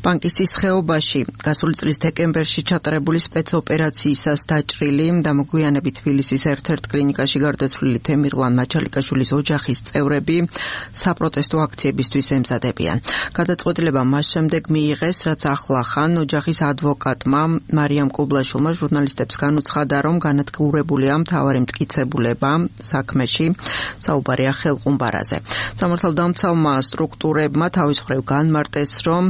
პანკისის ხეობაში გასული წლის დეკემბერში ჩატარებული სპეცოპერაციისას დაჭრილი და მოგვიანებით თბილისის ერთ-ერთ კლინიკაში გარდაცვლილი თემირლან მაჩალიკაშვილის ოჯახის წევრები საპროტესტო აქციებისთვის ემზადებიან. გადაწყვეტილება მას შემდეგ მიიღეს, რაც ახლახან ოჯახის ადვოკატმა მარიამ კუბლაშვილმა ჟურნალისტებს განუცხადა, რომ განადგურებულია მთავარი მტკიცებულება საქმეში, საუბარია ხელყუმბარაზე. სამართალდამცავმა სტრუქტურებმა თავის მხრივ განმარტეს, რომ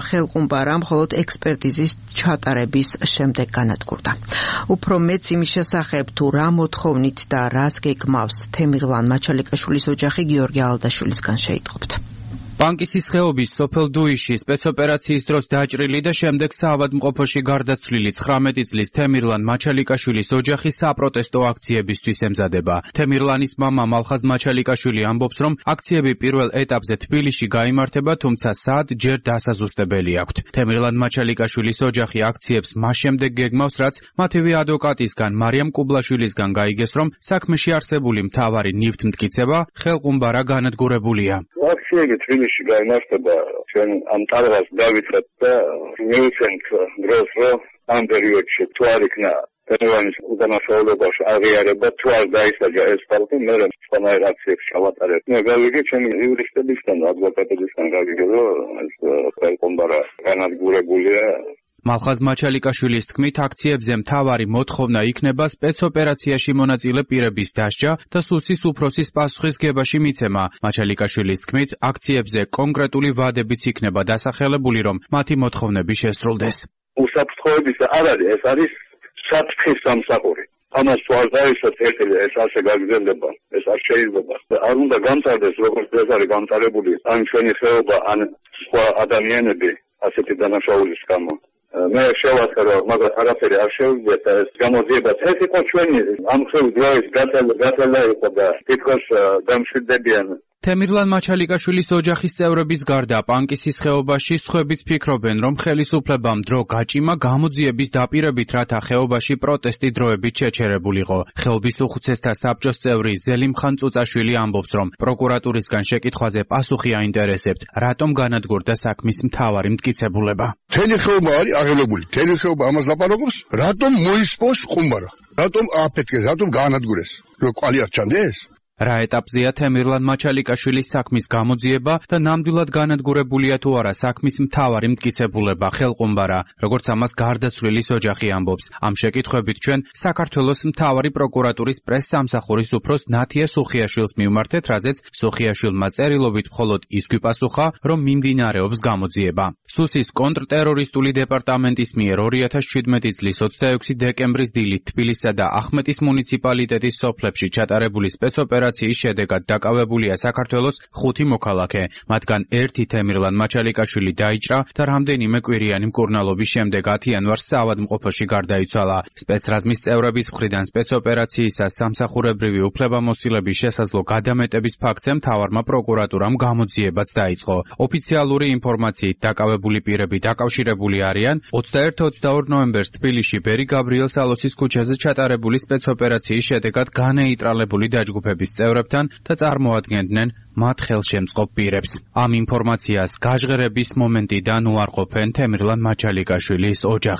ხელყუმბარა მხოლოდ ექსპერტიზის ჩატარების შემდეგ განადგურდა. უფრო მეც იმის შესახებ, თუ რა მოთხოვნით და რას გეგმავს თემირლან მაჩალიკაშვილის ოჯახი, გიორგი ალდაშვილისგან შეიტყობთ. პანკისის ხეობის სოფელ დუიში სპეცოპერაციის დროს დაჭრილი და შემდეგ საავადმყოფოში გარდაცვლილი 19 წლის თემირლან მაჩალიკაშვილის ოჯახი საპროტესტო აქციებისთვის ემზადება. თემირლანის მამა მალხაზ მაჩალიკაშვილი ამბობს, რომ აქციები პირველ ეტაპზე თბილისში გაიმართება, თუმცა სად ჯერ დასაზუსტებელი აქვთ. თემირლან მაჩალიკაშვილის ოჯახი აქციებს მას შემდეგ გეგმავს, რაც მათივე ადვოკატისგან მარიამ კუბლაშვილისგან გაიგეს, რომ საქმეში არსებული მთავარი ნივთმტკიცება ხელყუმბარა განადგურებულია. აქციები თბილისში გაიმართება, ჩვენ ამ ტალღას დავითრეთ და მივიცემთ დროს, რომ ამ პერიოდში თუ არ იქნა თემირლანის უდანაშაულებაში აღიარება, თუ არ დაისაჯა ეს ხალხი, მე სხვანაირ აქციებს ჩავატარებ. მე გავიგე ჩემი იურისტებისგან, ადვოკატებისგან გავიგე, რომ ეს ხელყუმბარა განადგურებულია. მალხაზ მაჩალიკაშვილის თქმით, აქციებზე მთავარი მოთხოვნა იქნება სპეცოპერაციაში მონაწილე პირების დასჯა და სუსის უფროსის პასუხისგებაში მიცემა. მაჩალიკაშვილის თქმით, აქციებზე კონკრეტული ვადებიც იქნება დასახელებული, რომ მათი მოთხოვნები შესრულდეს. უსაფრთხოების არ არის, ეს არის საფრთხის სამსახური. ამას თუ არ დაისვათ ერთელი, ეს ასე გაგრძელდება, ეს არ შეიძლება. არ უნდა გამწარდეს, როგორც ეს არის გამწარებული, ან ჩვენი ხეობა, ან სხვა ადამიანები ასეთი დანაშაულის გამო. მე შევახერე, მაგრამ არაფერი არ შევიდე და ეს გამოძიება ეს იყო ჩვენი ამ ხევის დროის გაწელა იყო და თითქოს დამშვიდებიან. თემირლან მაჩალიკაშვილის ოჯახის წევრების გარდა პანკისის ხეობაში სხვებიც ფიქრობენ, რომ ხელისუფლებამ დრო გაჭიმა გამოძიების დაპირებით, რათა ხეობაში პროტესტი დროებით შეჩერებულიყო. ხეობის უხუცესთა საბჭოს წევრი ზელიმხან წუწაშვილი ამბობს, რომ პროკურატურისგან შეკითხვაზე პასუხი აინტერესებთ, რატომ განადგურდა საქმის მთავარი მტკიცებულება. თელი ხეობა არის აღელებული, თელი ხეობა ამას ლაპარაკობს, რატომ მოისპოს ყუმბარა, რატომ აფეთქეს, რატომ გაანადგურეს, რომ კვალი არ ჩანდეს? რა ეტაპზეა თემირლან მაჩალიკაშვილის საქმის გამოძიება და ნამდვილად განადგურებულია თუ არა საქმის მთავარი მტკიცებულება ხელყუმბარა, როგორც ამას გარდაცვლილის ოჯახი ამბობს. ამ შეკითხვებით ჩვენ საქართველოს მთავარი პროკურატურის პრესსამსახურის უფროს ნათია სუხიაშვილს მივმართეთ, რაზეც სუხიაშვილმა წერილობით მხოლოდ ის გვიპასუხა, რომ მიმდინარეობს გამოძიება. სუსის კონტრტერორისტული დეპარტამენტის მიერ 2017 წლის 26 დეკემბრის დილით თბილისსა და ახმეტის მუნიციპალიტეტის სოფლებში ჩატარებული სპეცოპერაციის შედეგად დაკავებულია საქართველოს 5 მოქალაქე, მათგან ერთი თემირლან მაჩალიკაშვილი დაიჭრა და რამდენიმე კვირიანი მკურნალობის შემდეგ 10 იანვარს საავადმყოფოში გარდაიცვალა. სპეცრაზმის წევრების მხრიდან სპეცოპერაციისას სამსახურებრივი უფლებამოსილების შესაძლო გადამეტების ფაქტზე მთავარმა პროკურატურამ გამოძიებაც დაიწყო. ოფიციალური ინფორმაციით დაკავებული პირები დაკავშირებული არიან 21-22 ნოემბერს თბილისში ბერი გაბრიელ სალოსის ქუჩაზე ჩატარებული სპეცოპერაციის შედეგად განეიტრალებული დაჯგუფების წევრებთან და წარმოადგენდნენ მათ ხელშემწყობ პირებს. ამ ინფორმაციას გაჟღერების მომენტიდან უარყოფენ თემირლან მაჩალიკაშვილის ოჯახის